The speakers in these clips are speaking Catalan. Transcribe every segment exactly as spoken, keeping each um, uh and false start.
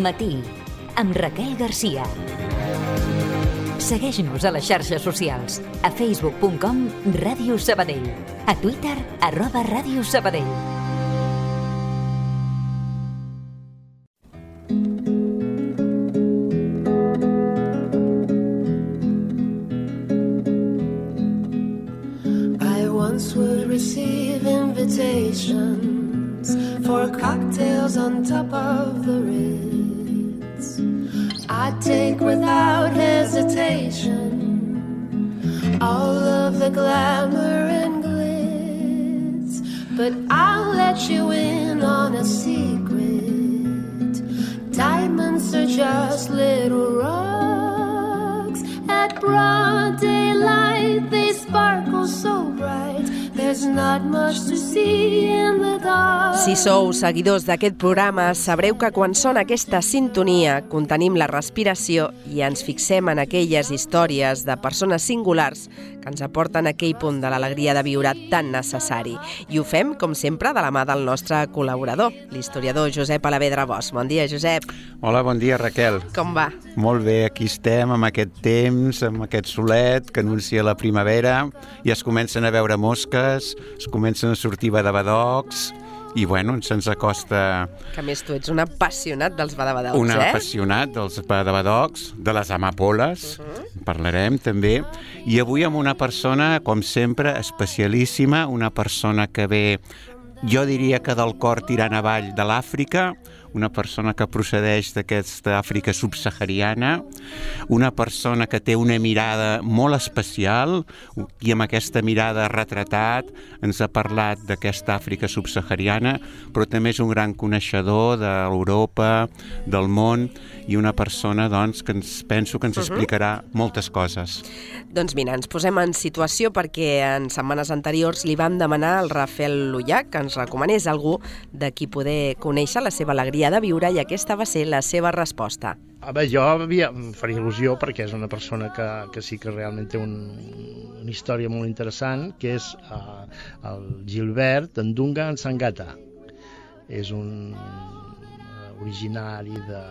Matí, amb Raquel Garcia. Segueix-nos a les xarxes socials, a facebook punt com Ràdio Sabadell, a Twitter, arroba Ràdio Sabadell. I once would receive invitations for cocktails on top of the Ritz. I'd take without hesitation all of the glamour and glitz, but I'll let you in on a secret. Diamonds are just little rocks. At broad daylight they sparkle so bright. There's not much to see in the dark. Si sou seguidors d'aquest programa, sabreu que quan sona aquesta sintonia contenim la respiració i ens fixem en aquelles històries de persones singulars que ens aporten aquell punt de l'alegria de viure tan necessari. I ho fem, com sempre, de la mà del nostre col·laborador, l'historiador Josep Alavedra Bosch. Bon dia, Josep. Hola, bon dia, Raquel. Com va? Molt bé, aquí estem, amb aquest temps, amb aquest solet que anuncia la primavera, i es comencen a veure mosques, es comencen a sortir badabadocs, i bueno, se'ns acosta... Que a més tu ets un apassionat dels badabadocs, un eh? Un apassionat dels badabadocs, de les amapoles, uh-huh. Parlarem també, i avui amb una persona, com sempre, especialíssima, una persona que ve, jo diria que del cor tirant avall de l'Àfrica, una persona que procedeix d'aquesta Àfrica subsahariana, una persona que té una mirada molt especial i amb aquesta mirada retratat ens ha parlat d'aquesta Àfrica subsahariana, però també és un gran coneixedor d'Europa, del món, i una persona doncs, que ens penso que ens explicarà moltes coses. Doncs mira, ens posem en situació perquè en setmanes anteriors li vam demanar al Rafael Lullac que ens recomanés algú de qui poder conèixer la seva alegria de viure, i aquesta va ser la seva resposta. A veure, jo havia, em faria il·lusió perquè és una persona que, que sí que realment té un, una història molt interessant, que és uh, el Gilbert Ndunga Nsangata. És un uh, originari de,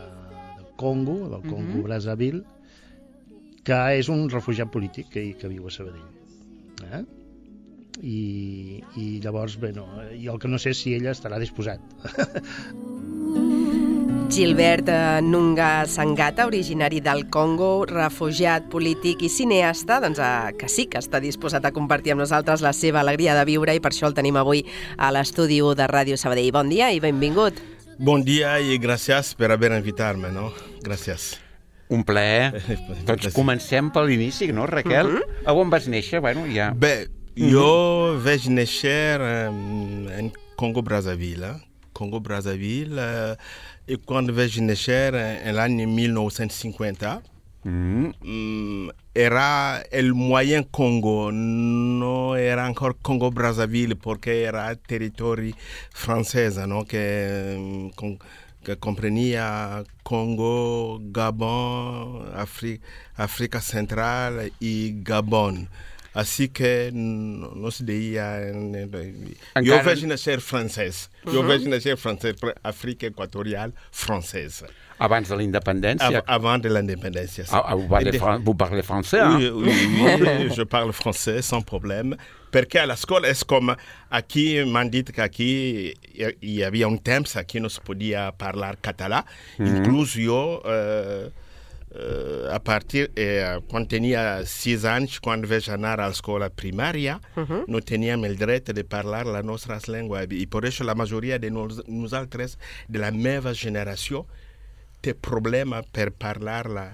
del Congo, del Congo Brazzaville, que és un refugiat polític que, que viu a Sabadell. Eh? I, i llavors, bé, no, jo el que no sé si ella estarà disposat. Gilbert Ndunga Nsangata, originari del Congo, refugiat polític i cineasta, doncs eh, que sí que està disposat a compartir amb nosaltres la seva alegria de viure, i per això el tenim avui a l'estudi de Ràdio Sabadell. Bon dia i benvingut. Bon dia i gràcies per haver invitat-me, no? Gràcies. Un plaer. Doncs comencem per l'inici, no, Raquel? Uh-huh. A on vas néixer? Bueno, ja... Bé, jo vaig néixer um, en Congo-Brazzaville. Congo-Brazzaville, uh, i quan vaig néixer en l'any mil nou-cents cinquanta, mm. um, era el moyen Congo, no era encore Congo-Brazzaville, porque era territori francesa, no? que, con, que comprenia Congo, Gabon, Afri, África Central y Gabon. Així que no, no se deia... Encara... Jo vaig néixer francès. Jo uh-huh. vaig néixer francès, Àfrica Equatorial francesa. Abans de la independència? Av avant de la independència. Ah, vous, parlez fran vous parlez français, hein? Oui, oui, oui, je parle français sans problème. Perquè a l'escola és com... Aquí m'han dit que aquí hi havia un temps aquí no es podia parlar català. Mm-hmm. Inclús jo... Eh, Uh, a partir, eh, quan tenia sis anys, quan vaig anar a l'escola primària, uh-huh. no teníem el dret de parlar la nostra llengua. I per això la majoria de nos, nosaltres, de la meva generació, té problema per parlar la,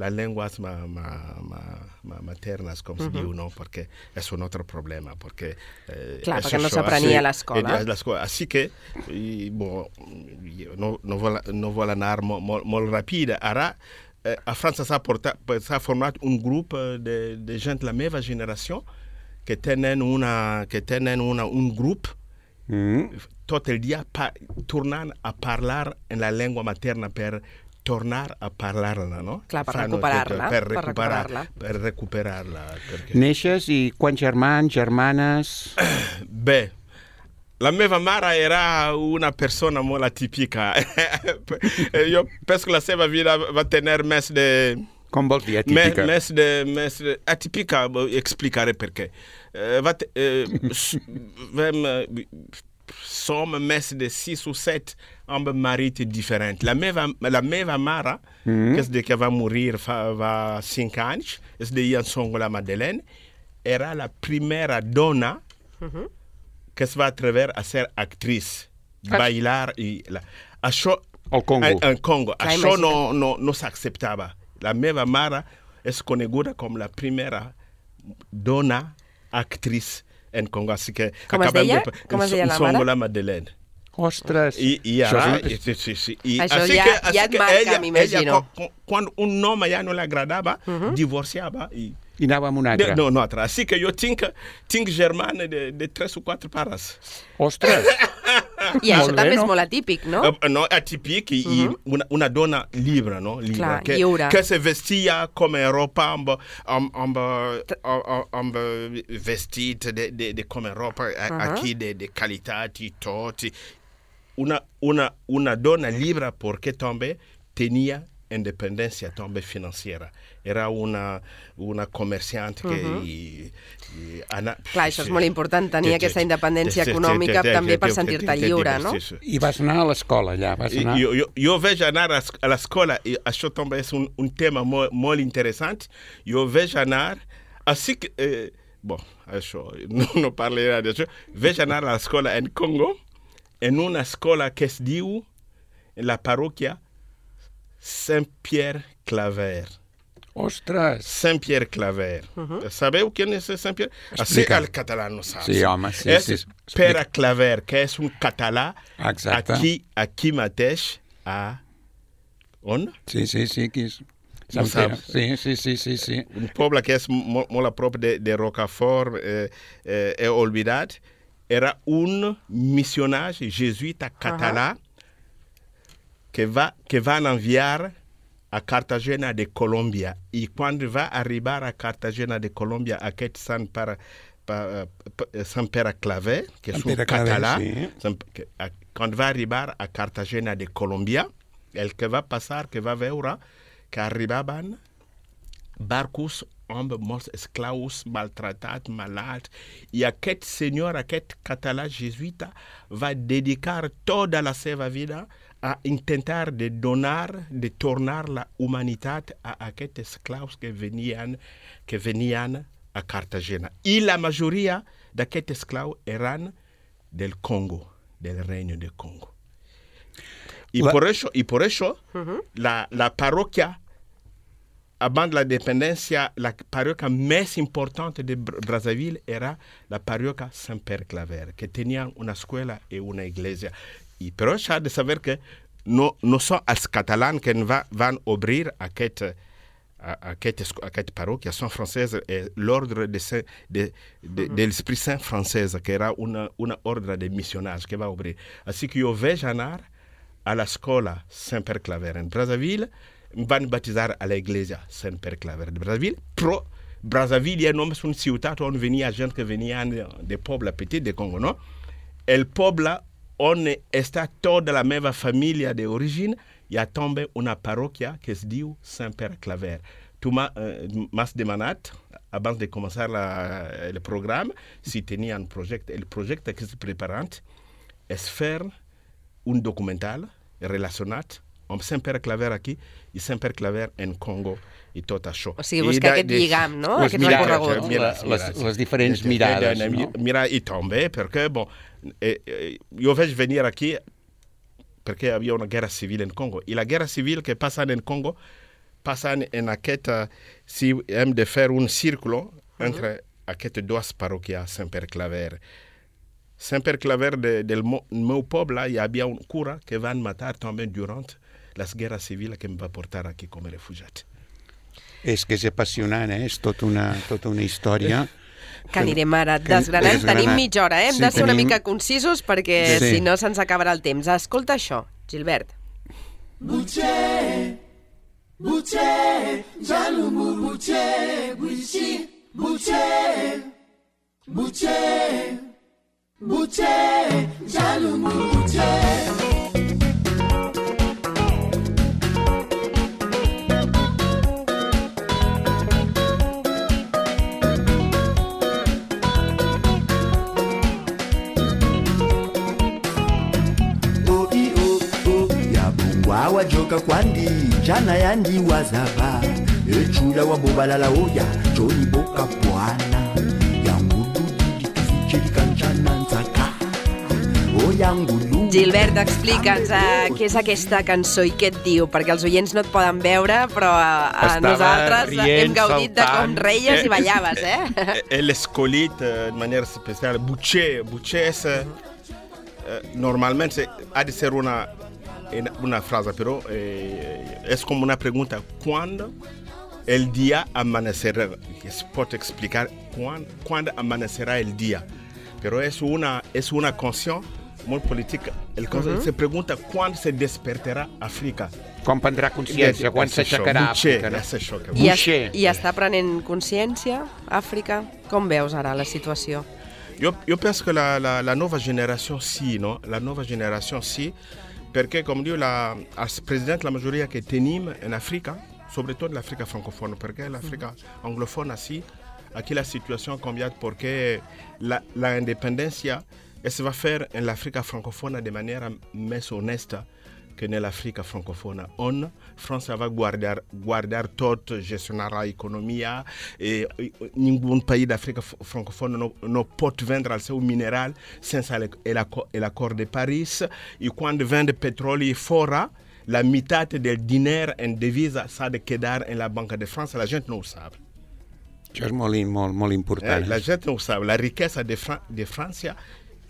la llengua ma, ma, ma, ma materna, com uh-huh. se diu, no? Perquè és un altre problema. Perquè, eh, Clar, perquè no s'aprenia a l'escola. Així que, i, bon, no, no, vol, no vol anar molt, molt, molt ràpid. Ara, a França s'ha format un grup de, de gent de la meva generació que tenen, una, que tenen una, un grup mm. tot el dia pa, tornant a parlar en la llengua materna per tornar a parlar-la, no? Clar, per recuperar-la. Per recuperar-la. Per recuperar-la. Perquè... Neixes i quants germans, germanes? Bé, la meva mare era una persona molt atípica. Jo penso que la seva vida va tenir més de... Com vols dir atípica? Més, més de... Més de atípica, explicaré per què. Uh, va te, uh, vam, uh, som més de sis o set amb marits diferents. La meva, la meva mare, mm-hmm. que és de que va morir fa va cinc anys, és de Ian Songola Madeleine, era la primera dona mm-hmm. que es va atrever a ser actriz, ah. bailar i la, això al Congo. En, en Congo. Clar, això no, no, no s'acceptava. La meva mare és coneguda com la primera dona actriz en Congo. Així que com es deia? De, com es deia la mare? Songola Madeleine. Ostres! I, i ara, això, sí, sí, sí. I, això ja, que, ja et marca, ella, m'imagino. Ella, quan un home ja no l'agradava, uh-huh. divorciava i... I anava amb un altre. No, no, altre. Així que jo tinc, tinc germana de, de tres o quatre pares. Ostres! I això bé, també no? És molt atípic, no? Uh, no, atípic i, uh-huh. i una, una dona lliure, no? Lliure, clar, que, lliure. Que se vestia com Europa amb, amb, amb, amb, amb vestit de, de, de com Europa, uh-huh. aquí de, de qualitat i tot. Una, una, una dona lliure perquè també tenia independència també financiera. Era una, una comerciant que... Uh-huh. I, i ana... Clar, això és molt important, tenir aquesta independència econòmica també per sentir-te lliure, no? I vas anar a l'escola allà? Vas anar... Jo, jo, jo vaig anar a l'escola, i això també és un, un tema molt, molt interessant. Jo vaig anar... Així que... Eh, bon, això, no, no parlaré d'això. Vaig anar a l'escola en Congo, en una escola que es diu, la parròquia Saint-Pierre Claver. Ostres! Saint-Pierre Claver. Uh-huh. Sabeu qui és Saint-Pierre? Així el català no saps. Sí, home, sí. És sí, Pere Claver, que és un català aquí, aquí mateix a... On? Sí, sí, sí, aquí és... No saps? Sí, sí, sí, sí, sí. Un poble que és molt, molt a prop de, de Rocafort, eh, eh, he oblidat. Era un missionari jesuïta català uh-huh. que va, que van enviar a Cartagena de Colòmbia. I quan va arribar a Cartagena de Colòmbia, aquest Sant Pere, Sant Pere Claver, que és un català, sí. Quan va arribar a Cartagena de Colòmbia, el que va passar, que va veure que arribaven barcos amb molts esclaus maltratats, malalts, i aquest senyor, aquest català jesuïta, va dedicar tota la seva vida a intentar de donar, de tornar la humanitat a aquests esclaus que venien, que venien a Cartagena. I la majoria d'aquests esclaus eren del Congo, del Reino de Congo. I la... por això, y por eso uh-huh. la, la parròquia, abans de la independència, la parròquia més importante de Brazzaville era la parròquia Saint-Pierre Claver, que tenia una escuela i una iglesia. I però s'ha de saber que no, no són els catalans que va, van obrir aquest, aquest, aquest parròquia, són franceses, l'ordre de, de, de, de l'Esprit Saint française, que era una, una ordre de missionnaires que va obrir. Així que jo vaig anar a l'escola Saint-Pierre Claver en Brazzaville, van batizar a l'Iglesia Saint-Pierre Claver de Brazzaville, però Brazzaville és només una ciutat on venia gent que venien de poble petit de Congo, no? El poble on està tota la meva família d'origine, hi ha també una parròquia que es diu Saint-Pierre Claver. Tu m'has demanat, abans de començar la, el programa, si tenia un projecte. El projecte que estic preparant és fer un documental relacionat amb Saint-Pierre Claver aquí i Saint-Pierre Claver en Congo i tot això. O sigui, buscar aquest lligam, no? Les, aquest mirades, mira, les, les diferents de, mirades, de, de, de, no? Mira, i també, perquè, bon, eh, eh, jo vaig venir aquí perquè hi havia una guerra civil en Congo. I la guerra civil que passa en Congo passa en aquest, si hem de fer un círculo entre aquestes dues parròquies Saint-Pierre Claver. Saint-Pierre Claver de, del meu poble, hi havia un cura que van matar també durant les guerres civils que em va portar aquí com a refugiat. És que és apassionant, eh? És tota una, tota una història. Que anirem ara desgranant. Tenim mitja hora, eh? Hem sí, de ser tenim... una mica concisos perquè sí. Si no se'ns acabarà el temps. Escolta això, Gilbert. Butxe, butxe, jalumu butxe, guixi, butxe, butxe, Butcher, Jalumu Butcher. Wajoka kwandi jana yandi wazaba echula wabobalala oya joni boka bwana yangudu didi kanchana nzaka oyangulu. Gilbert, explica'ns uh, què és aquesta cançó i què et diu, perquè els oients no et poden veure, però uh, nosaltres rient, hem gaudit de com reies i ballaves, eh? Elle escolite de manière spéciale. Butcher, Butcher, c'est, euh, normalement, c'est, ha de ser una una frase, pero eh, es como una pregunta. ¿Cuándo el día amanecerá? Se puede explicar cuándo, cuándo amanecerá el día. Pero es una, es una canción muy política. El uh-huh. Se pregunta cuándo se despertará África. Quan prendrà consciència, quan s'aixecarà Àfrica. No? I, es, I està prenent consciència, Àfrica? Com veus ara la situació? Jo, jo penso que la, la, la nova generació sí, no? La nova generació sí, perché, come dico, la, als presidente la maggioria che tenim in Africa, soprattutto l'Africa francophone, perché l'Africa anglophone, sì, qui la situation cambia, perché la, la independencia se va faire in l'Africa francophone de maniera més honesta che nell'Africa francophone. On, Francia va guardar, guardar tot, gestionare l'economia, e ningún país d'Africa francophone no, no pot vendre el seu mineral sense l'acord de Paris. I quan vende petroli fora, la meitat del diner en devisa s'ha de quedar en la Banca de France. La gent no ho sap. Això és molt, molt, molt important. Eh, la gent no ho sap. La riquesa de, Fra de França,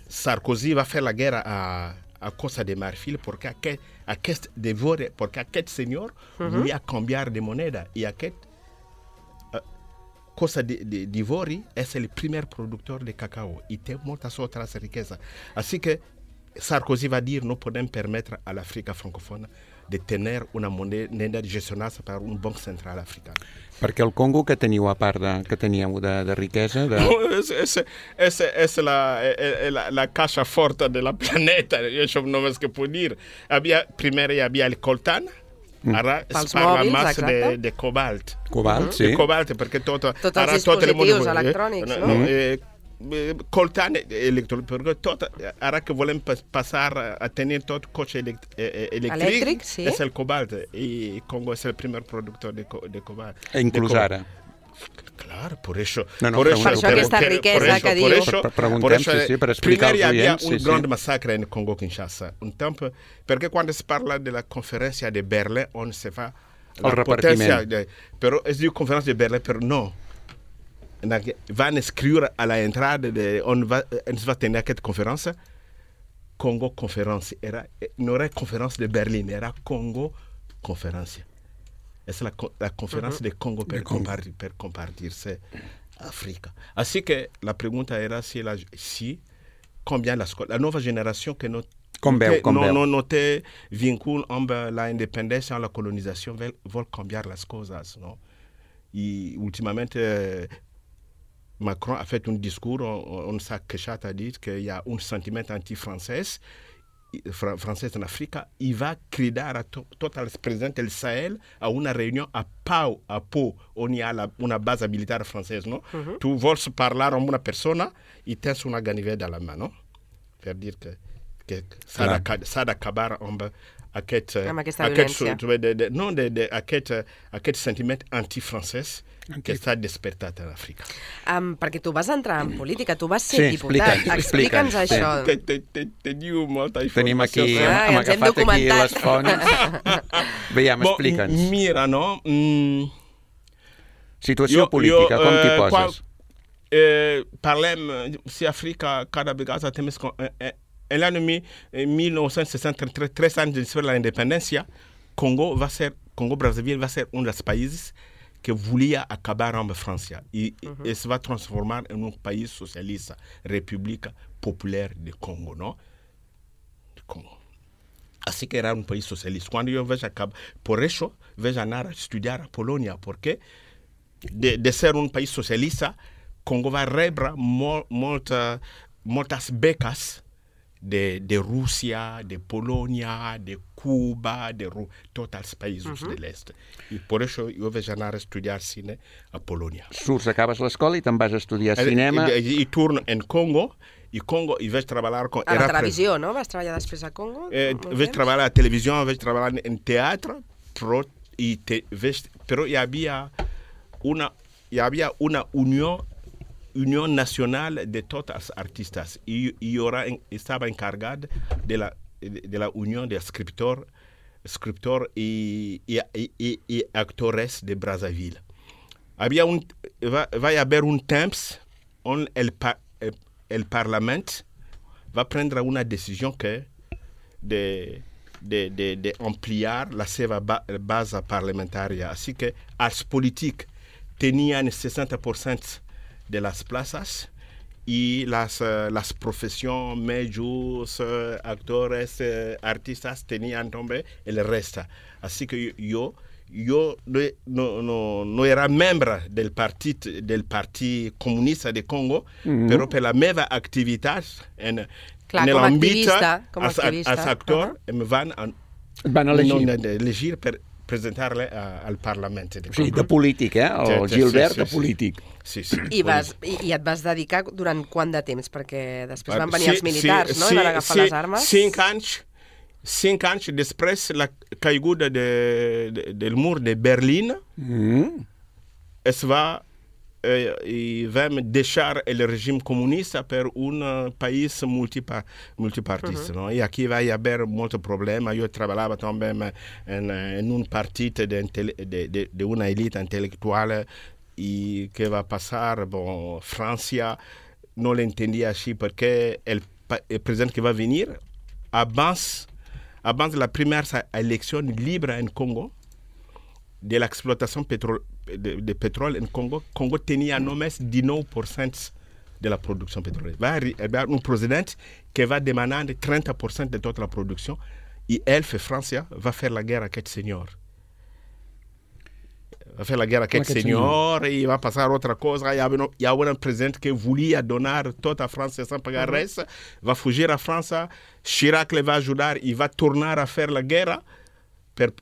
Sarkozy va fer la guerra a a Costa de Marfil porque aquest, aquest devore, perquè aquest senyor uh-huh. volia canviar de moneda i aquest uh, Costa d'Ivori és el primer productor de cacao i té moltes altres riqueses. Així que Sarkozy va dir no podem permetre a l'Àfrica francòfona de tenir una moneda gestionada per un banc central africà. Perquè el Congo que teniu a part de, que teníeu de, de riquesa? De... No, és, és, és, és la, la, la caixa forta de la planeta, això només que puc dir. Havia, primer hi havia el coltan, ara mm. es parla més de, de cobalt. Cobalt, mm-hmm. sí. De cobalt, perquè tot... Tots els dispositius electrònics, eh, no? no eh, coltan electrònic, perquè tot, ara que volem passar a tenir tot cotxe elect, eh, elèctric, elèctric sí. és el cobalt, i Congo és el primer productor de, de cobalt. Inclús de ara. Claro, por eso. No, no, por, eso, por això aquesta riquesa por eso, que diu. Por eso, preguntem, por eso, sí, sí, per explicar als oients. Primer hi havia un sí, gran sí. massacre en Congo-Kinshasa. Un tempo, perquè quan es parla de la conferència de Berlín, on se fa la potència... De, però es diu conferència de Berlín, però no. Van escriure a la entrada de on va, ens va tenir aquesta conferència, Congo conferència. Era, no era conferència de Berlín, era Congo conferència. Es la, la conferencia uh-huh. de Congo per, compartir, per compartirse África. Así que la pregunta era si, la, si combien la, la nueva generación que no, com veu, com no, veu. no, no té vincul amb la independència o la colonizació, vol, vol canviar les coses. No? I últimament eh, Macron ha fet un discours on, on s'ha queixat, ha dit que hi ha un sentiment anti-francès francès en Àfrica, i va cridar a to, tots els presidents del Sahel a una reunió a Pau, a Pau, on hi ha la, una base militar francesa, no? Uh-huh. Tu vols parlar amb una persona i tens una ganiveta a la mà, no? Per dir que, que s'ha d'acabar amb aquest... Amb aquesta aquest, violència. De, de, no, de, de, aquest, aquest sentiment anti-francès que està despertat a l'Àfrica. Um, perquè tu vas entrar en política, tu vas ser sí, diputat. Explica'ns, Explica'ns això. Te, te, te, te diu molta informació. Tenim aquí, ah, hem agafat aquí les fonts. Veiem, bon, explica'ns. Mira, no? Mm, Situació jo, política, jo, com t'hi eh, poses? Quan, eh, parlem, si Àfrica cada vegada té més... Eh, en l'any mil nou-cents seixanta-tres, tres anys després de la independència, Congo va ser, Congo-Brazzaville va ser un dels països que volia acabar amb França i uh-huh. es va transformar en un país socialista, República Popular de Congo, no? De Congo. Así que era un país socialista. Cuando yo vejo acabar, por eso vejo anar a estudiar a Polonia, porque de, de ser un país socialista, Congo va rebre molt, molta moltes beques de, de Rússia, de Polònia, de Cuba, de Ru... tots els països uh-huh. de l'est. I per això jo vaig anar a estudiar cine a Polònia. Surts, acabes l'escola i te'n vas a estudiar cinema. I, i, i torno en Congo, i Congo i vaig treballar... Com, a la televisió, no? Vas treballar després a Congo? Eh, vaig treballar a la televisió, vaig treballar en teatre, però, i te, vaig, però hi havia una, hi havia una unió Unión Nacional de tots els artistes. I, i jo estava encarregat de la, de, de la unió de escriptors escriptor i, i, i, i actores de Brazzaville. Havia un, va, va haver un temps on el, el, el Parlament va prendre una decisió que de, de, de, de ampliar la seva ba, base parlamentària. Així que els polítics tenien seixanta per cent de las plazas y las, uh, las profesiones, medios, uh, actores, uh, artistas tenían también el resto. Así que yo, yo no, no, no era miembro del Partido del Partido Comunista de Congo, mm-hmm. pero per la meva activitat en, Clar, en l'àmbit als actors uh-huh. em van, van elegir. No, elegir per presentar-le al Parlament. De sí, de polític, eh? El sí, Gilbert sí, sí, de polític. Sí, sí. I, vas, i, I et vas dedicar durant quant de temps? Perquè després van venir sí, els militars, sí, no? Sí, I van agafar sí, les armes. Cinc anys, cinc anys després la caiguda de, de, del mur de Berlín, mm. es va, eh, i vam deixar el règim comunista per un país multipa, multipartista. Uh-huh. No? I aquí va haver molts problemes. Jo treballava també en, en un partit d'una de, de, de elite intel·lectual i què va passar? Bon, França no l'entendia així perquè el, el president que va venir, abans, abans la primera elecció libre en Congo, de l'exploitació pétrole, de, de pétrole en Congo, Congo tenia només dinou per cent de la producció pétrolière. Va haver un president que va demanar trenta per cent de tota la producció i ell, França, va fer la guerra a aquest senyor. Va fer la guerra a aquest senyor, senyor i va passar altra cosa. Hi havia, hi havia un president que volia donar tota a França sense pagar uh-huh. res, va fugir a França, Chirac li va ajudar i va tornar a fer la guerra per,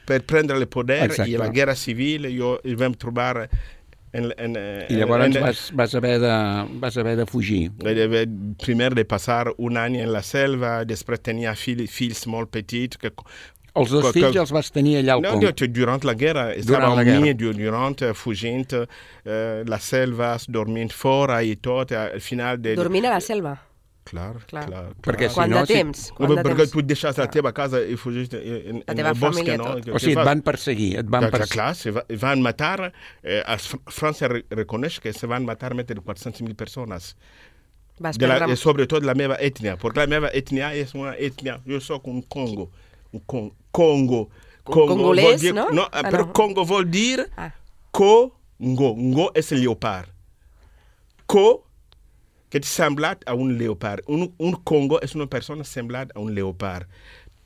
per prendre el poder. Exacte. I la guerra civil jo, i vam trobar... En, en, I llavors en, vas, vas, haver de, vas haver de fugir. Primer de passar un any en la selva, després tenia fill, fills molt petits. Que, els dos que, fills que, els vas tenir allà al Congo? No, durant la guerra. Estava unit durant, fugint, eh, la selva, dormint fora i tot. Al final de... Dormint a la selva? Clar, clar. clar. Perquè si Quant no, de temps? Si... No, perquè tu deixes la teva casa i fugis en, en el bosc, no? O sigui, et van perseguir, et van perseguir. Clar, se va, van matar, eh, França reconeix que se van matar més de quatre-cents mil persones. De la, prendre... Sobretot la meva ètnia, perquè la meva ètnia és una ètnia, jo soc un Congo, un Congo, Congo. Congo congolès, dir, no? No, ah, però no. Congo vol dir ah. Congo, Ngo és el lleopard. Co que és semblat a un lleopard. Un, un Congo és una persona semblat a un lleopard.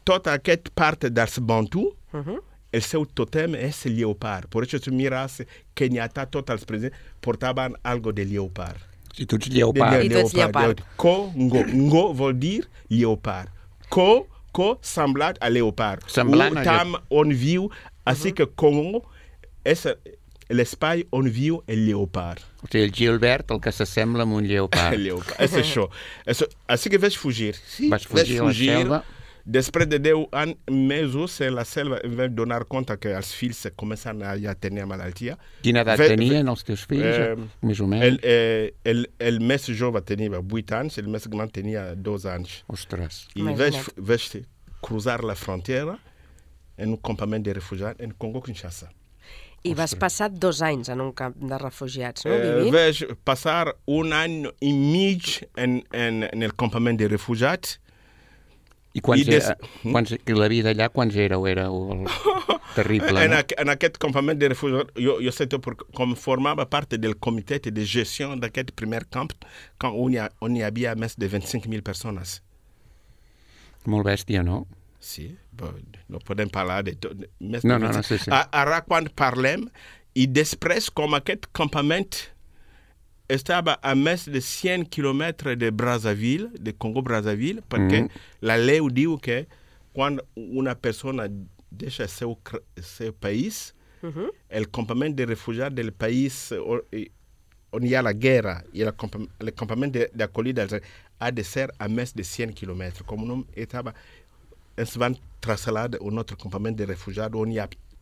Tota aquesta part dels Bantu, uh-huh. el seu tòtem és el lleopard. Per això tu mires Kenyatta, tots els presidents portaven algo de lleopard. Si tu ets lleopard. I tu ets lleopard. Congo. Ngo vol dir lleopard. Co, co semblat a lleopard. Semblant a tam on viu, així uh-huh. que Congo és l'espai on viu el lleopard. O sigui, el Gilbert, el que s'assembla amb un lleopard. El lleopard, és això. Així que vaig fugir. Sí, Vas fugir a la selva? Després de deu anys, mesos, en la selva, em vaig donar compte que els fills començaven a ja tenir malaltia. Quina edat ve, tenien els teus fills, eh, més o menys? El, eh, el, el més jove tenia vuit anys, el més gran tenia dos anys. Ostres. I vaig, vaig cruzar la frontera en un campament de refugiats en Congo-Kinshasa. I vas passar dos anys en un camp de refugiats, no? Eh, vaig passar un any i mig en, en, en el campament de refugiats. I quants, I des... era, quants la vida allà, quants éreu? Era el... terrible, en, no? a, en aquest campament de refugiats, jo, jo sé per, com formava part del comitè de gestió d'aquest primer camp, on hi, ha, on hi havia més de vint-i-cinc mil persones. Molt bèstia, no? Sí, no podem parlar de tot. No, no, no, sí, sí. Ara quan parlem, i després com aquest campament estava a més de cent quilômetres de Brazzaville, de Congo-Brazzaville, perquè mm. la lei diu que quan una persona deixa seu, seu país, mm-hmm. el campament de refugiats del país on hi ha la guerra i el, el campament d'acollida ha de ser a més de cent quilômetres. Com no estava, ens van traslladar a un altre campament de refugiats on hi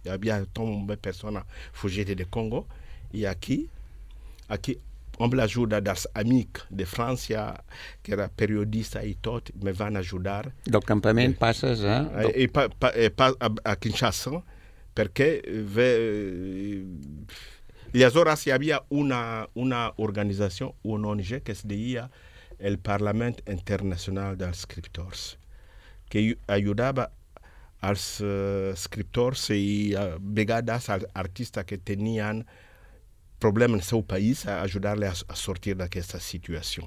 havia tombé persones fugides de Congo. I aquí, aquí amb l'ajuda dels amics de França, que era periodista i tot, me van ajudar. Del campament passes a... I pa, pa, pa, a, a Kinshasa, perquè ve, aleshores hi havia una, una organització, una O N G, que es deia el Parlament Internacional dels Escriptors, que ajudava als uh, escriptors i a vegades als artistes que tenien problema no seu país, a ajudar-los a sortir d'aquesta situació.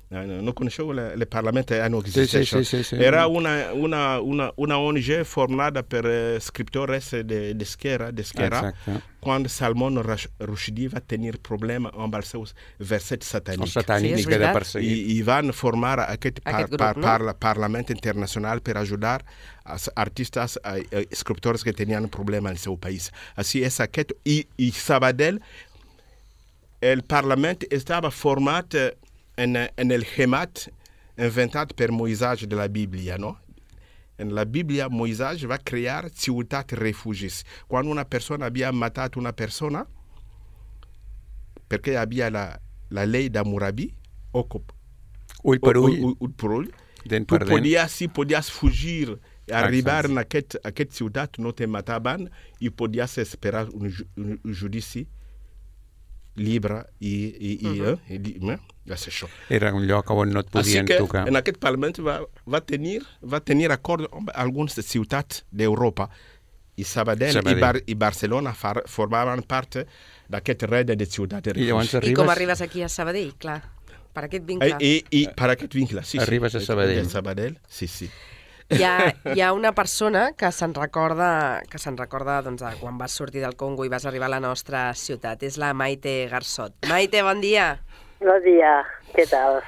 No coneixeu el Parlament? No existe. Sí, sí, sí, sí. Era una, una, una, una O N G formada per escriptores d'esquerra, d'esquerra, quan Salman Rushdie va tenir problema amb els seus versets satànics. Els satànics sí, que de perseguir. I, I van formar aquest, aquest par, grup, par, no? Parlament Internacional per ajudar els artistes, escriptors que tenien problema en el seu país. Així és aquest. I, i Sabadell, el Parlament estava format en, en el Hemat inventat per Moisès de la Bíblia, no? En la Bíblia, Moisès va crear ciutat refugis. Quan una persona havia matat una persona, perquè hi havia la, la llei d'Hammurabi, ull per ull, ull, ull, per ull, dent tu per dent. podies, si podies fugir i arribar en aquest, aquest ciutat, no te mataven, i podies esperar un, un, un judici llibre i, i, uh-huh. i, i, i eh? és això. Era un lloc on no et podien que, tocar. En aquest Parlament va, va, tenir, va tenir acord amb algunes ciutats d'Europa i Sabadell, Sabadell. I, Bar, i Barcelona far, formaven part d'aquest red de ciutats. I, arribes... I com arribes aquí a Sabadell, clar, per aquest vincle. I, i, i per aquest vincle, sí. Arribes sí. a Sabadell. A Sabadell, sí, sí. Hi ha, hi ha una persona que se'n recorda, que se'n recorda doncs, de quan vas sortir del Congo i vas arribar a la nostra ciutat. És la Maite Garsot. Maite, bon dia. Bon dia, què tal?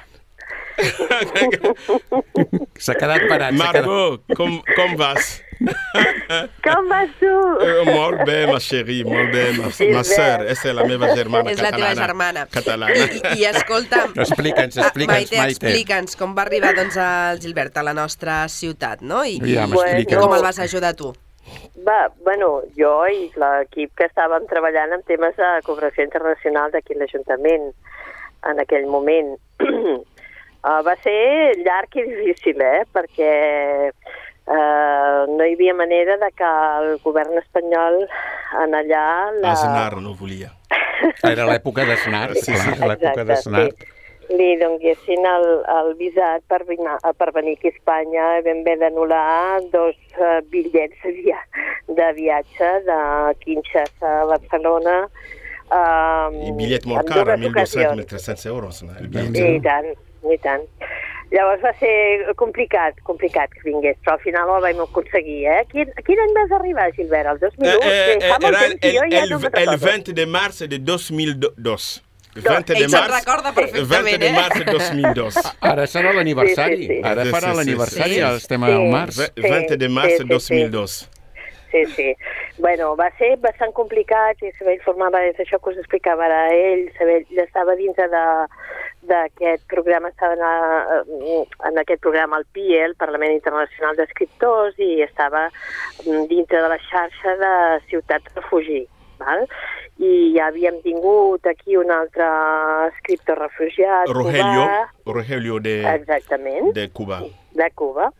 S'ha quedat parat. Margot, quedat... com, com vas? Com vas tu? Uh, molt bé, ma chérie, molt bé. Ma, ma sœur, és la meva germana és catalana. És la teva germana. Catalana. I, i escolta'm... Explica'ns, explica'ns, Maite. Maite, explica'ns com va arribar doncs, el Gilbert a la nostra ciutat, no? I, ja, i, i com el vas ajudar tu? Va, bueno, jo i l'equip que estàvem treballant en temes de cooperació internacional d'aquí a l'Ajuntament en aquell moment. uh, va ser llarg i difícil, eh? Perquè Uh, no hi havia manera de que el govern espanyol en allà... La... Aznar no volia. Era l'època d'Aznar, sí, sí, l'època d'Aznar. Sí. Li donguessin el, el visat per, vina, per venir aquí a Espanya i vam haver d'anul·lar dos uh, bitllets de, via de viatge de Kinshasa a Barcelona. Uh, I bitllet molt car, mil dos-cents, mil tres-cents euros. No? I tant, i tant. Llavors va ser complicat, complicat que vingués, però al final ho vam aconseguir, eh? Quin, quin any vas arribar, Gilbert? El dos mil u? Eh, eh, era el, el, el, el vint de març de dos mil dos. vint de març, recorda perfectament, vint de març de dos mil dos. Ara serà l'aniversari, sí, sí, sí. ara farà sí, l'aniversari, sí, sí. el tema del març. Sí, vint de març de dos mil dos. Sí, sí. Bueno, va ser bastant complicat i saber informava és això que us explicava ara ell, saber, ell estava dintre de d'aquest programa, estava en, en aquest programa el P I E, el Parlament Internacional d'Escriptors, i estava dintre de la xarxa de Ciutat Refugi, val? I ja havíem tingut aquí un altre escriptor refugiat, Rogelio, cubà. Rogelio de, exactament, de Cuba. De Cuba.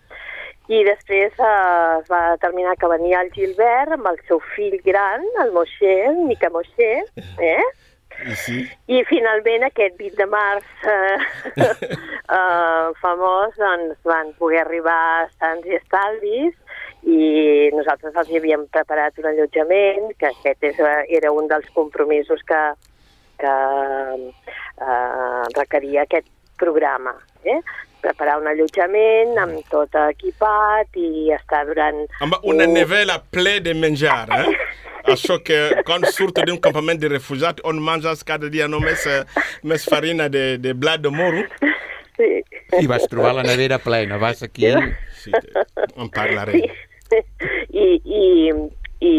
I després eh, es va determinar que venia el Gilbert amb el seu fill gran, el Moshe, el Mica Moshe, eh? I, sí. I finalment aquest vint de març eh, eh, famós doncs, van poder arribar sants i estalvis i nosaltres els havíem preparat un allotjament, que aquest és, era un dels compromisos que, que eh, requeria aquest programa, eh? Preparar un allotjament amb tot equipat i estar durant... Amb una nevela ple de menjar, eh? Achou que quando surto de um campamento de refugiados, on mange cada dia només, més farina de, de blat de moro. Sí. I vas trobar la nevera plena, vas aquí... Sí, en parlarem. I, i, i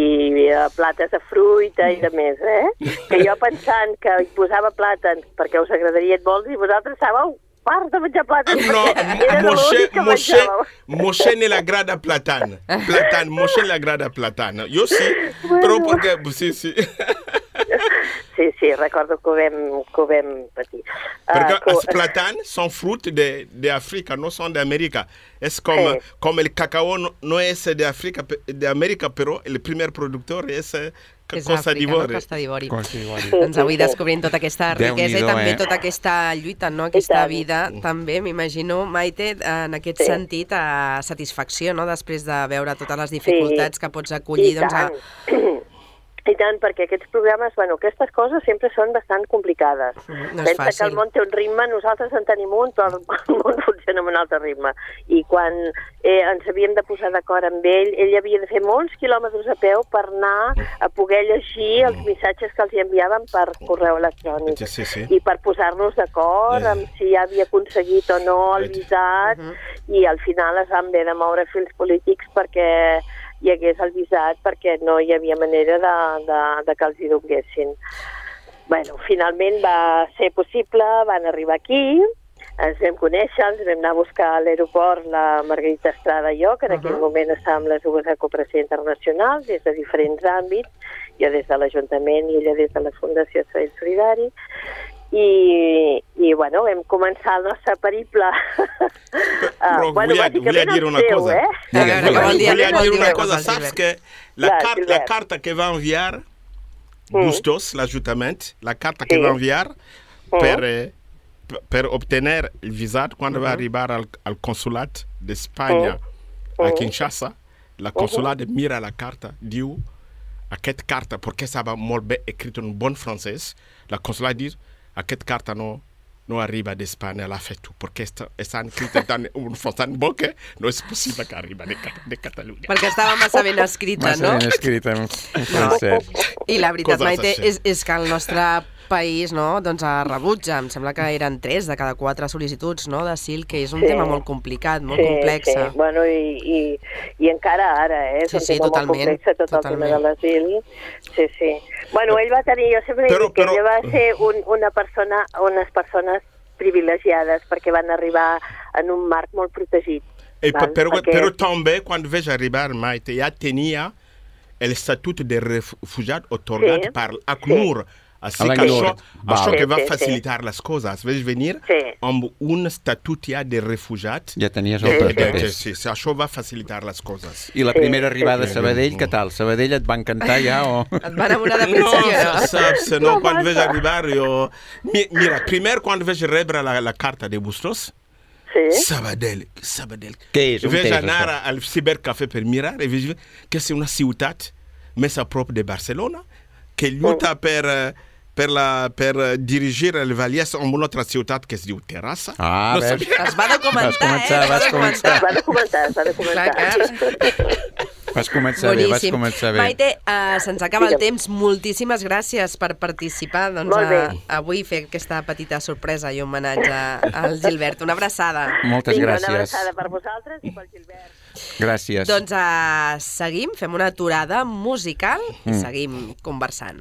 uh, plates de fruita i de més, eh? Que jo pensant que hi posava plàtans perquè us agradaria molts i vosaltres estàveu part de menjar plàtans. No, Moshe, Moshe, Moshe ne l'agrada platane. Platane, Moshe ne l'agrada platane. Jo sí, bueno. Però perquè... Sí, sí. Sí, sí, recordo que ho vam, que ho vam patir. Perquè uh, els platanes són fruits d'Àfrica, no són d'Amèrica. És com, sí. Com el cacao no, no és d'Àfrica, d'Amèrica, però el primer productor és... És Costa d'Ivori. Costa d'Ivori. Sí, doncs avui descobrint tota aquesta riquesa i també eh? tota aquesta lluita, no? Aquesta vida, també m'imagino, Maite, en aquest sí. sentit, a satisfacció, no? Després de veure totes les dificultats sí. que pots acollir, doncs, a... I tant, perquè aquests programes, bueno, aquestes coses sempre són bastant complicades. No Pensa fàcil. que el món té un ritme, nosaltres en tenim un, però el món funciona amb un altre ritme. I quan eh, ens havíem de posar d'acord amb ell, ell havia de fer molts quilòmetres a peu per anar a poder llegir els missatges que els enviaven per correu electrònic. Sí, sí. I per posar-nos d'acord amb si ja havia aconseguit o no el visat, uh-huh. i al final es van haver de moure fils polítics perquè hi hagués el visat, perquè no hi havia manera de, de, de que els hi donguessin. Bueno, finalment va ser possible, van arribar aquí, ens vam conèixer, ens vam anar a buscar a l'aeroport la Margarita Estrada i jo, que en aquell uh-huh. moment estàvem les dues a Cooperació Internacional, des de diferents àmbits, jo des de l'Ajuntament i ella des de la Fundació Sabadell Solidari, i, i bueno, vam començar el nostre periple. Però uh, bueno, volia, volia dir una seu, cosa. Eh? Volia, volia, volia dir una cosa. Saps que la, car la carta que va enviar mm. Bustos, l'Ajuntament, la carta sí. que va enviar mm. per, eh, per obtenir el visat quan mm-hmm. va arribar al, al consulat d'Espanya mm. a Kinshasa, la consulat mm-hmm. mira la carta, diu aquesta carta, perquè estava molt bé escrit en bon francès, la consulat diu aquesta carta no, no arriba d'Espanya, l'ha fet tu, perquè està, està escrita en un francès bo que no és possible que arriba de, de Catalunya. Perquè estava massa ben escrita, massa no? Massa ben escrita en francès. I la veritat, Maite, és, és que el nostre país, no, doncs rebutja, em sembla que eren tres de cada quatre sol·licituds, no, d'asil, que és un sí. tema molt complicat, molt sí, complex. Sí, bueno, i, i, i encara ara, eh, és sí, un sí, tema totalment, molt complex, tot totalment. El tema de l'asil. Sí, sí. Bueno, ell va tenir, jo sempre però, dic que però... ell va ser un, una persona, unes persones privilegiades, perquè van arribar en un marc molt protegit. E val? Però, perquè... però també, quan vaig arribar, Maite, ja tenia l'estatut de refugiat otorgat sí. per l'ACNUR. Sí. Així que això, això que va facilitar les coses. Vaig venir sí. amb un estatut ja de refugiat. Ja tenies els sí. papers. Sí, sí, això va facilitar les coses. I la primera sí. arribada a Sabadell, què tal? Sabadell et va encantar ja o...? Et va enamorar de principi, no? No, saps, no, no quan vaig arribar jo... Mira, primer quan vaig rebre la, la carta de Bustos, sí. Sabadell, Sabadell. Què és? Vaig anar això? Al cibercafè per mirar i vaig dir que és una ciutat més a prop de Barcelona, que lluita mm. per... per, la, per dirigir el Vallès en una altra ciutat que es diu Terrassa. Ah, no ves? Es va documentar, vas començar, eh? Vas començar. Es va documentar, es va documentar. Vas començar Boníssim. bé, vas començar bé. Maite, uh, se'ns acaba el temps. Moltíssimes gràcies per participar doncs, a, avui, fer aquesta petita sorpresa i homenatge al Gilbert. Una abraçada. Moltes Vinga, gràcies. Una abraçada per vosaltres i pel Gilbert. Gràcies. Doncs uh, seguim, fem una aturada musical i mm. seguim conversant.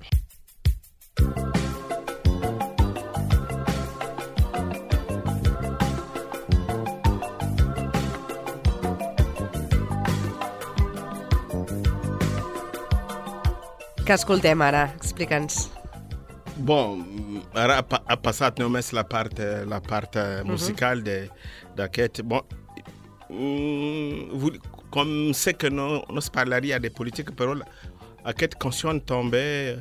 Què escoltem ara? Explica'ns. Bon, ara ha, ha passat només la part, la part musical uh-huh. d'aquest... Bon, mm, com sé que no, no es parlaria de politique, però aquesta cançó també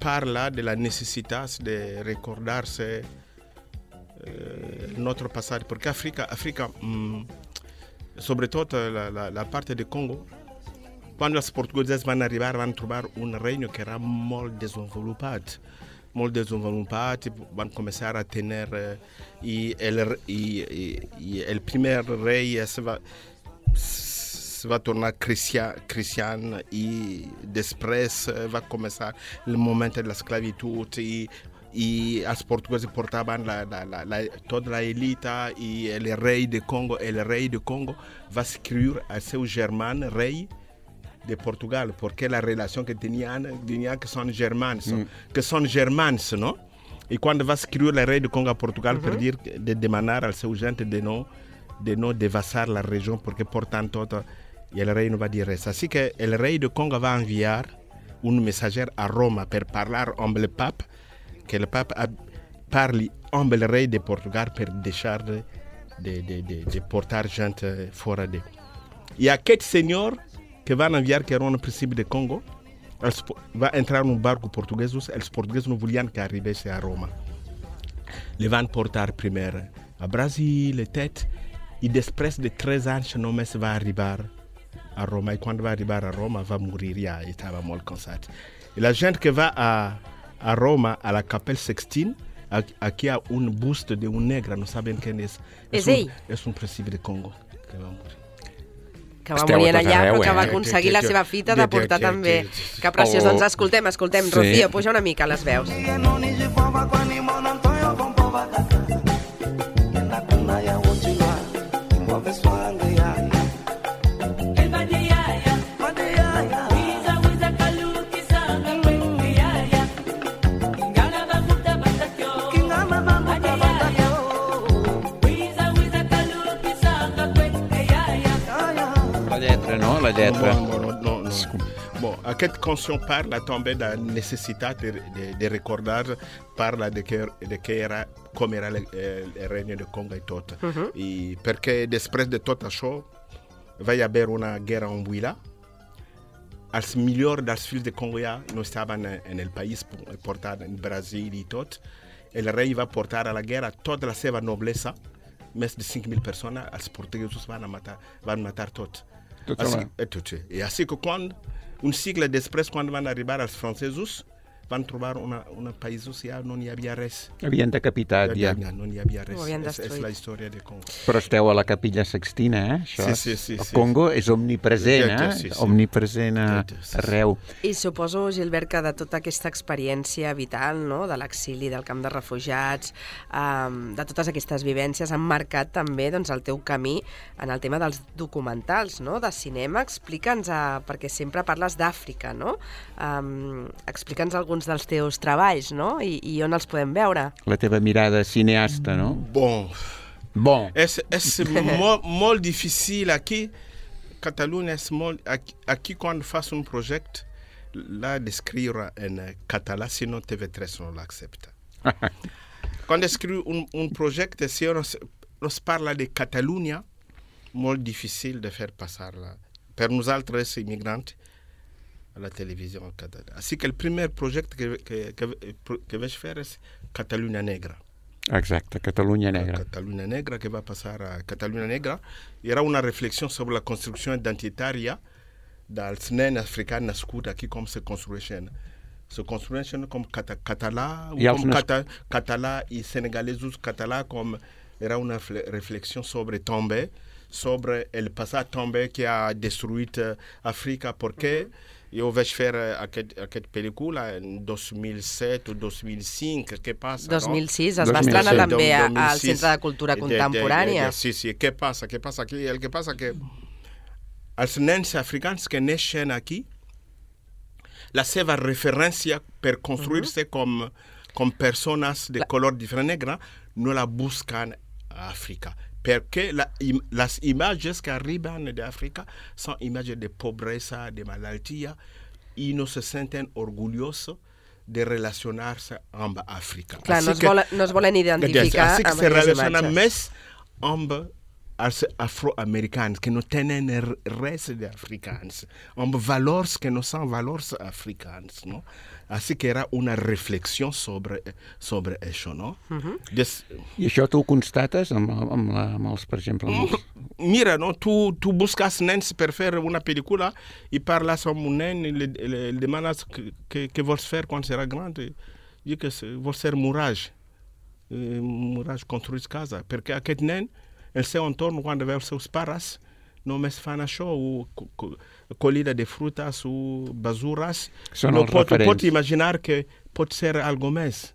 parla de la necessitat de recordar-se eh, notre passat, perquè Àfrica, Àfrica mm, sobretot la, la, la part de Congo, quan els portuguesos van arribar, van trobar un regne que era molt desenvolupat, molt desenvolupat, van començar a tenir, eh, i, el, i, i, i el primer rei se va, va tornar cristian, cristian e després va começar o momento da esclavitud e e os portugueses portavam la, la, la, la, toda a elite e o rei de Congo, o rei de Congo vai escrever a seu germano rei de Portugal, porque a relação que tinham, tinham que são germanos, mm. que são germanos, não? E quando vai escrever o rei de Congo a Portugal, mm-hmm. per dire de demanar ao seu gente de não de não devassar a região, porque portanto o rei não vai dizer isso. Assim que o rei de Congo vai enviar um mensageiro a Roma para falar com o Papa, que o Papa parle com o rei de Portugal para deixar de, de, de, de, de portar gente fora de. E aquele senhor que vai enviar, que era um príncipe de Congo, vai entrar num barco português, os portugueses não voliam que arribasse a Roma. Eles vão portar primeiro a Brasil, etc. E depois de três anos, não mais vai arribar a Roma. E quando vai arribar a Roma, vai morrer já. E estava muito cansado. E a gente que vai a, a Roma, à la Capelle Sixtine, aqui há um busto de um negro, não sabem quem é. És ell? És un príncipe de Congo que va morir. Que va morir allà, arreu, però que va aconseguir eh? la seva fita de portar que, també. Que, que, que preciós. Doncs escoltem, escoltem. Sí. Rocío, puja una mica les veus. La lletra. Bon, bon, no, no. Bon, aquesta cançó parla també de la necessitat de, de, de recordar, parla de que, de que era, com era el, el, el regne de Congo i tot. Uh-huh. I perquè després de tot això va haver una guerra en Anguilla. Els millors dels fills de Congo ja no estaven en el país, portant en Brasil i tot. El rei va portar a la guerra tota la seva noblesa, més de cinc mil persones, els portuguesos van matar, van matar tot. Assim, é tudo. E assim que quando, um século depois, quando vão arribar os franceses, vão trobar uma, uma país social, não havia res. Havien decapitat, ja. No n'hi havia res. És, és la història de Congo. Però esteu a la Capella Sixtina, eh? Això sí, sí, sí. El sí, Congo sí. és omnipresent, eh? Sí, sí. Omnipresent a, sí, sí. arreu. I suposo, Gilbert, que de tota aquesta experiència vital, no?, de l'exili, del camp de refugiats, um, de totes aquestes vivències, han marcat també doncs, el teu camí en el tema dels documentals, no?, de cinema. Explica'ns, uh, perquè sempre parles d'Àfrica, no? Um, explica'ns alguns dels teus treballs, no?, I, i on els podem veure. La teva mirada cineasta, no? Bon. Bon. És, és molt, molt difícil aquí. Catalunya és molt... Aquí, aquí quan fas un projecte, l'ha d'escriure en català, sinon T V tres no l'accepta. Quan escriu un, un projecte, si on es, es parla de Catalunya, molt difícil de fer passar-la. Per nosaltres, immigrants, a la televisió catalana. Així que el primer projecte que, que, que, que vaig fer és Catalunya Negra. Exacte, Catalunya Negra. Catalunya Negra, que va passar a Catalunya Negra. Era una reflexió sobre la construcció identitària dels nens africans nascuts aquí, com se construeixen. Se construeixen com cata, català, com nas... cata, català i senegalesos català, com era una reflexió sobre Tombé, sobre el passat Tombé que ha destruït Àfrica, perquè eu vaig fer aquest, aquest pel·lícula en dos mil set o dos mil cinc, què passa? dos mil sis, no? es va estrenar també al Centre de Cultura Contemporània. De, de, de, sí, sí, què passa? Què passa aquí? El que passa que els nens africans que neixen aquí, la seva referència per construir-se uh-huh. com, com persones de la... color diferent negre no la busquen a Àfrica. Perquè la, les imatges que arriben d'Àfrica són imatges de pobresa, de malaltia, i no se senten orgullosos de relacionar-se amb Àfrica. Clar, no es, volen, no es volen identificar amb aquestes imatges. Se relacionen més amb els afroamericans, que no tenen res d'africans, amb valors que no són valors africans, no? Així que era una reflexió sobre, sobre això, no? Uh-huh. Des... I això tu ho constates amb, amb, la, amb els, per exemple... Amb els... Mira, no? tu, tu busques nens per fer una pel·lícula i parles amb un nen i li, li, li demanes què vols fer quan serà gran. I que vols ser murage. Murage construir casa. Perquè aquest nen, el seu entorn, quan veu els seus pares, només fan això, o collida de frutas o basuras. Són no els pot, referents. pot imaginar que pot ser algo més.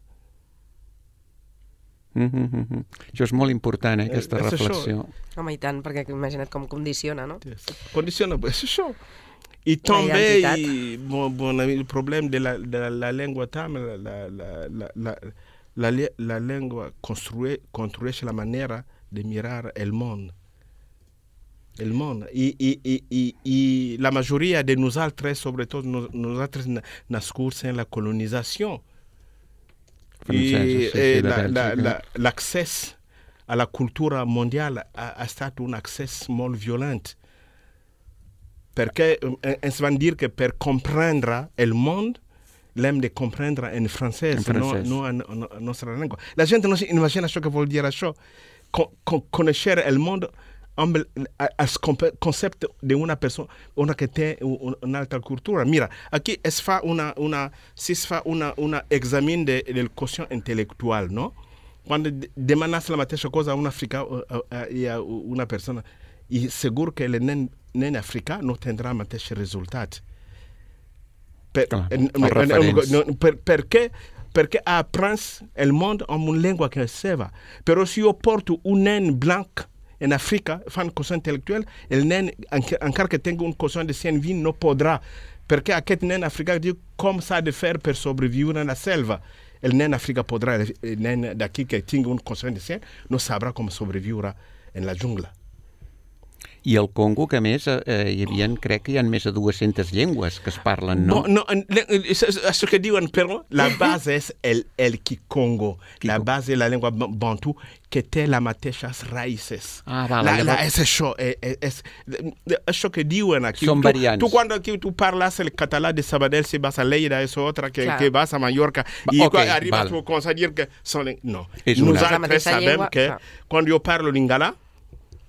Mm-hmm. Això és molt important, eh, aquesta és reflexió. Això. Home, i tant, perquè imagina't com condiciona, no? Condiciona, és això. I també i, bon, bon, el problema de la, de la llengua tam, la, la, la, la, la, la llengua construeix, construeix la manera de mirar el món. El món. I, i, i, i, i la majoria de nosaltres, sobretot nosaltres nascuts en la colonització, i eh, l'accés a la cultura mondial ha, ha estat un accés molt violent. Perquè ens van dir que per comprendre el món l'hem de comprendre en francès, en francès. no, no en, en, en nostra llengua. La gent no s'imagina això que vol dir això. Con, con, conèixer el món amb el, el concepte d'una persona una que té una altra cultura. Mira, aquí es fa una, una, si es fa una, una examen de, del quotient intel·lectual, no? Quan demanes la mateixa cosa a un africà i a una persona, i segur que el nen, nen africà no tindrà el mateix resultat. Per, ah, en, en, per, per què? Perquè aprens el món amb una llengua que és seva. Però si jo porto un nen blanc en Àfrica, fan quotient intel·lectual, el nen, encara que tingui un quotient de cent vint, no podrà, perquè aquest nen africà diu com s'ha de fer per sobreviure en la selva. El nen africà podrà, el nen d'aquí que tingui un quotient de cent, no sabrà com sobreviure en la jungla. I el Congo, que a més, eh, hi havia, crec que hi ha més de dues-centes llengües que es parlen, no? Bon, no, això que diuen, però la base és el, el Kikongo. Kiko. La base de la llengua bantu, que té les mateixes raïces. Ah, vale. La, la, llavors... és això. És, és, això que diuen aquí. Són tu, variants. Tu, quan aquí, tu parles el català de Sabadell, si vas a Lleida, és otra, que, que vas a Mallorca, i okay, quan arribes, vale. Tu comences a dir que són... No. Nosaltres sabem llengua, que clar. Quan jo parlo lingala,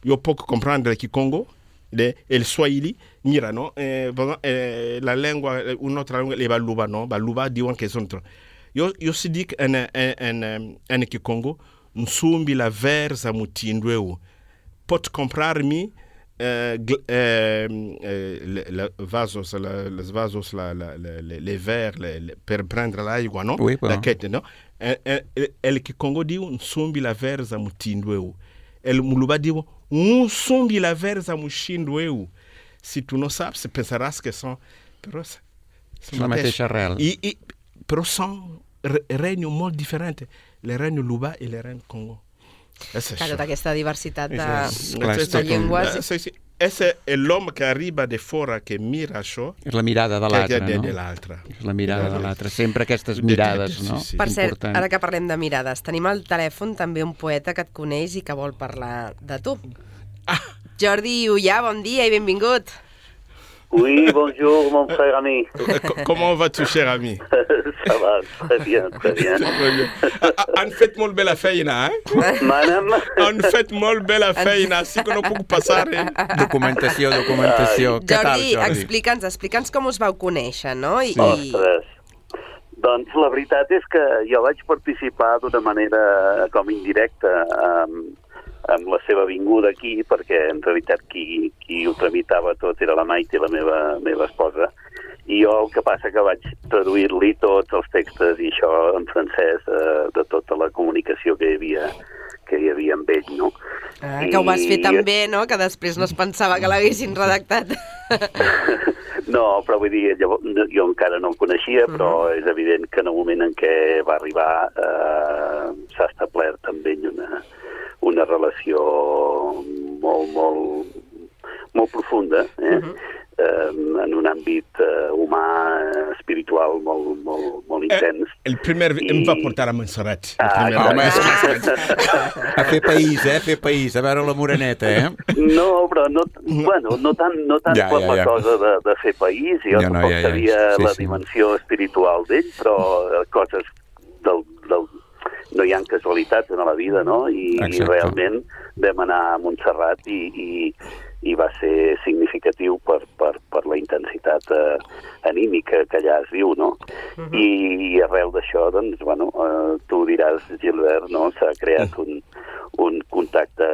yo puedo comprender el Kikongo, de, el Swahili, mira, ¿no? Eh, eh, la lengua, una otra lengua, el Baluba, ¿no? Baluba diuen que són... Yo, yo si dic en, en, en, en Kikongo, nsumbi la verza mutindweu. Pot comprar-mi eh, eh, les vasos, la, les vasos, la, la, la, les verres, la, per prendre l'aigua, no? Oui, però... D'aquest, no? El, el Kikongo diu nsumbi la verza mutindweu. El Muluba diu um sombi la verza muxindo eu. Si tu não sabes, pensarás que são... Però são la mateixa arrel. I, i, però són regnos molt diferents. El regne Luba i el regne Congo. És clar, tota aquesta diversitat de, és, clar, de llengües... Sí, sí. És l'home que arriba de fora que mira això... És la mirada de l'altre, de, no? De l'altre. És la mirada de l'altre. Sempre aquestes mirades, de, de, de, no? Sí, sí. Per cert, important. Ara que parlem de mirades, tenim al telèfon també un poeta que et coneix i que vol parlar de tu. Ah. Jordi Ullà, bon dia i benvingut. Oui, bonjour, mon frère ami. Comment vas-tu, cher ami? Ça va, très bien, très bien. Han fet molt bé la feina, eh? Manam? Han fet molt bé la feina, sí que no puc passar, eh? Documentació, documentació. Què tal, Jordi, Jordi? explica'ns, explica'ns com us vau conèixer, no? I, sí. Ostres. Doncs la veritat és que jo vaig participar d'una manera com indirecta amb, amb la seva vinguda aquí, perquè en realitat qui, qui ho tramitava tot era la Maite, la meva, meva esposa, i jo el que passa que vaig traduir-li tots els textos i això en francès eh, de tota la comunicació que hi havia, que hi havia amb ell, no? Ah, I... que ho vas fer tan bé, no?, que després no es pensava que l'haguessin redactat. No, però vull dir, jo, jo encara no el coneixia, però uh -huh. és evident que en el moment en què va arribar eh, s'ha establert amb ell una, una relació molt, molt, molt profunda, eh? Uh -huh. eh, en un àmbit eh, humà, espiritual, molt, molt, molt intens. Eh, el primer I... em va portar a Montserrat. Ah, home, a fer país, eh? A fer país, a veure la moreneta, eh? No, però no, bueno, no tant, no tant ja, per ja, la ja. cosa de, de fer país, jo ja, tampoc no, ja, ja. sabia sí, la sí. dimensió espiritual d'ell, però coses del, del... no hi ha casualitats en la vida, no? I, i realment vam anar a Montserrat i, i, i va ser significatiu per, per, per la intensitat eh, anímica que allà es viu, no? Uh-huh. I, I arrel d'això, doncs, bueno, eh, tu diràs, Gilbert, no? S'ha creat un, un contacte,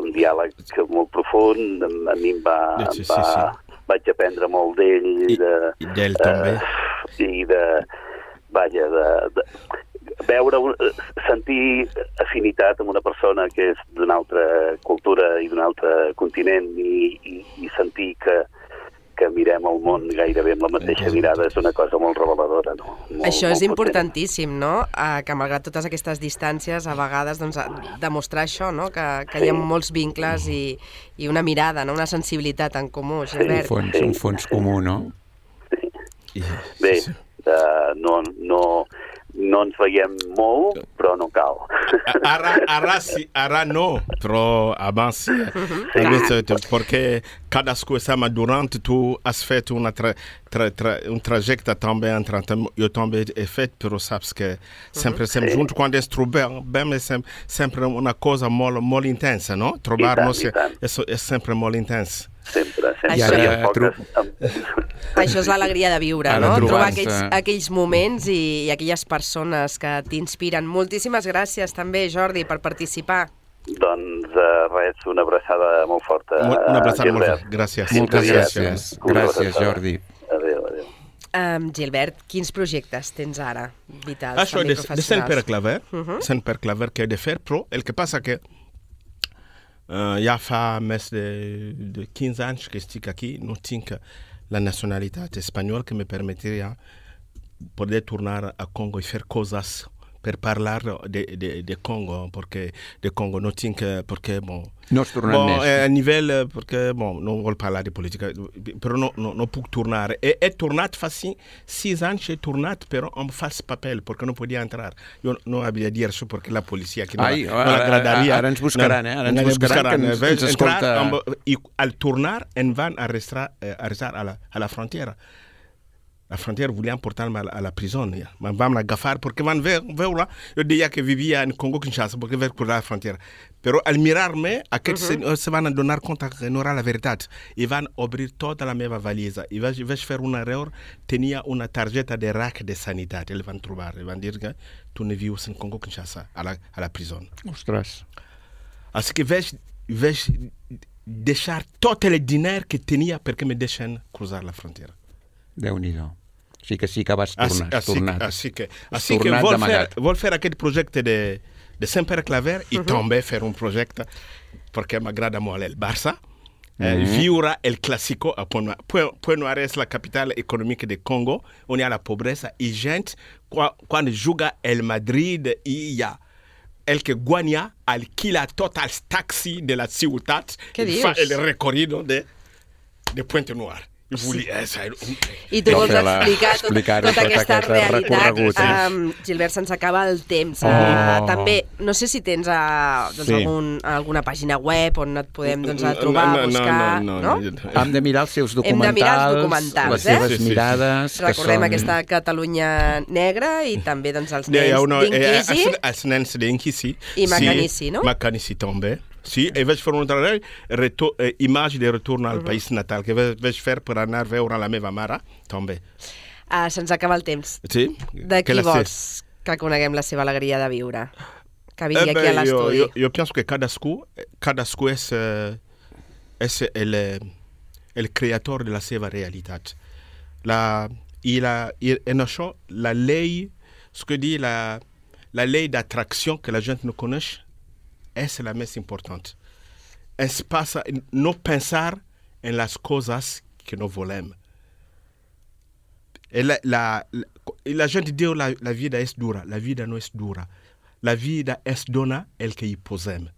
un diàleg molt profund, a mi em va... Sí, sí, va sí. Vaig aprendre molt d'ell. I, de, i d'ell també. Eh, I de... Vaja, de... de veure, sentir afinitat amb una persona que és d'una altra cultura i d'un altre continent i, i, i sentir que, que mirem el món gairebé amb la mateixa mirada és una cosa molt reveladora. No? Molt, Això és molt importantíssim, no? Eh, que malgrat totes aquestes distàncies, a vegades doncs, demostrar això, no? Que, que hi ha molts vincles i, i una mirada, no? Una sensibilitat en comú, Gilbert. Un fons, un fons comú, no? Sí. Bé, uh, no... no no ens veiem molt, però no cal. Ara, ara, sí, ara no, però abans sí. Uh-huh. Perquè cadascú està madurant, tu has fet una tra, tra, tra, un trajecte també entre eu també he fet, però saps que sempre estem uh-huh. juntos, quando ens trobem, bem, é sempre, sempre una cosa molt, molt intensa, no? Trobar-nos é, é sempre molt intens. Sempre, sempre. Això, I poques... Això és l'alegria de viure, no? Trobar aquells, aquells moments i, i aquelles persones que t'inspiren. Moltíssimes gràcies també, Jordi, per participar. Doncs uh, res, una abraçada molt forta. Una abraçada molt forta, gràcies. Moltes gràcies. Gràcies, Jordi. Adéu, adéu. Um, Gilbert, quins projectes tens ara, vitals, Això també de, professionals? de sempre claver, uh-huh. sempre claver que he de fer, però el que passa que Uh, ja fa més de, de quinze anys que estic aquí, no tinc la nacionalitat espanyola que me permetria poder tornar a Congo i fer coses per parlar de, de, de Congo, perquè de Congo no tinc, perquè, bon... No has tornat bon, més. Eh, a nivell, perquè, bon, no vol parlar de política, però no, no, no puc tornar. He, he tornat fa sis, sis anys, he tornat, però amb fals paper, perquè no podia entrar. Jo no havia dit això, perquè la policia que no, Ai, no l'agradaria. Ara ens buscaran, eh? Ara ens buscaran, que ens, ens escolta... Amb, I al tornar, en van arrestar, eh, arrestar a, la, a la frontera. La frontière volien portar-me a la presó. Ja. Em vam agafar perquè van veure, jo deia que vivia en Congo-Kinshasa perquè vaig cruzar la frontiera. Però al mirar-me, aquests uh-huh. se van donar compte que no era la veritat. I van obrir tota la meva valisa. I vaig, vaig fer un error, tenia una targeta de R A C de sanitat. Ells van trobar, i van dir que tu no vius en Congo-Kinshasa, a la, a la presó. Ostres. Així que vaig, vaig deixar tot el diner que tenia perquè me deixen cruzar la frontiera. Déu-n'hi-do. Sí que sí que vas tornar, has tornat. Així que, així que vol, fer, vol fer aquest projecte de, de sempre claver i uh-huh. també fer un projecte perquè m'agrada molt el Barça. Uh-huh. Eh, viure el clásico a Point Noir. Point Noir és la capital econòmica de Congo, on hi ha la pobresa i gent, quan, quan juga el Madrid i hi ha el que guanya alquila tots els taxis de la ciutat i fa el recorrido de, de Point Noir. Sí. I tu vols explicar tot, tota, tota aquesta realitat. Um, Gilbert, se'ns acaba el temps. Oh. Uh, també, no sé si tens uh, doncs, sí. algun, alguna pàgina web on et podem doncs, trobar, no, no, buscar... No, no, no, no? Hem de mirar els seus documentals, Hem de mirar els documentals les seves eh? mirades... Recordem són... aquesta Catalunya negra i també doncs, els nens no, d'Inquisi. Els, els nens d'Inquisi. I Macanissi, no? Macanissi també. Sí, e vaig fer un treball, retor, eh, imatge de retorn al uh-huh. país natal, que vaig, vaig fer per anar a veure la meva mare, també. Uh, Se'ns acaba el temps. Sí? De qui vols que coneguem la seva alegria de viure? Que vingui eh, aquí a l'estudi. Jo, jo, jo penso que cadascú, cadascú és, és el, el creador de la seva realitat. La, i, la, I en això, la llei, ce que dit la, la llei d'attraction que la gent no coneix, essa é a mais importante. Es passa não pensar em las coisas que não volemos. La, la, la, la gente diz la, la vida é dura. La vida não é dura. La vida é dona el que posemos.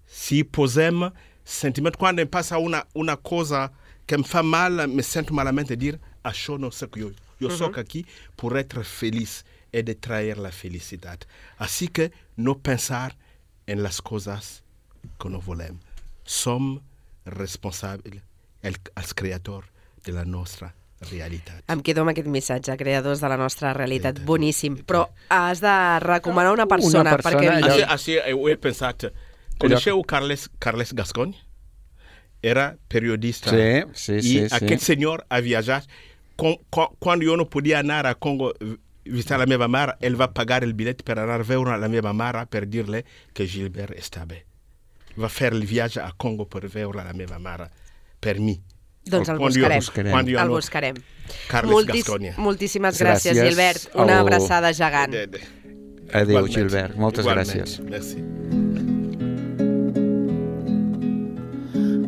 Se posemos sentimento, quando passa uma, uma coisa que me faz mal, me sinto malamente, dizer, achou não sei o que eu. Eu sou aqui por être feliz e de trazer a felicidade. Assim que não pensar en las cosas que no volem. Som responsables, els creadors de la nostra realitat. Em quedo amb aquest missatge, creadors de la nostra realitat. Sí, boníssim. Però has de recomanar una persona. Una persona perquè... Així, així ho he pensat. Coneixeu Carles, Carles Gascony? era periodista. Sí, sí, e sí, aquele sí. senhor a viajar. Com, com, quando eu não podia andar a Congo visitar a minha mãe, ele vai pagar o bilhete para andar ver a minha mãe para dir-lhe que Gilbert está bem. Vai fazer a viagem a Congo para ver a minha mãe, per mim. Doncs el Quando buscarem. eu- quando eu El no- buscarem. Carles Moltis, Gasconia. moltíssimes gràcies, Gràcies Gilbert. Una al- abraçada gegant. De- de- Adéu, igualmente, Gilbert. Moltes igualmente. gràcies. Merci.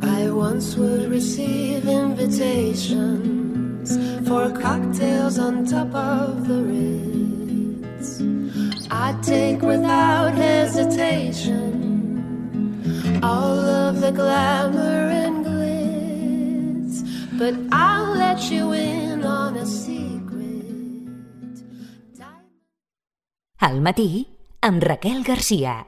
I once would receive invitations for cocktails on top of the Ritz. I'd take without hesitation all of the glamour and glitz, but I'll let you in on a secret. Al matí, amb Raquel Garcia.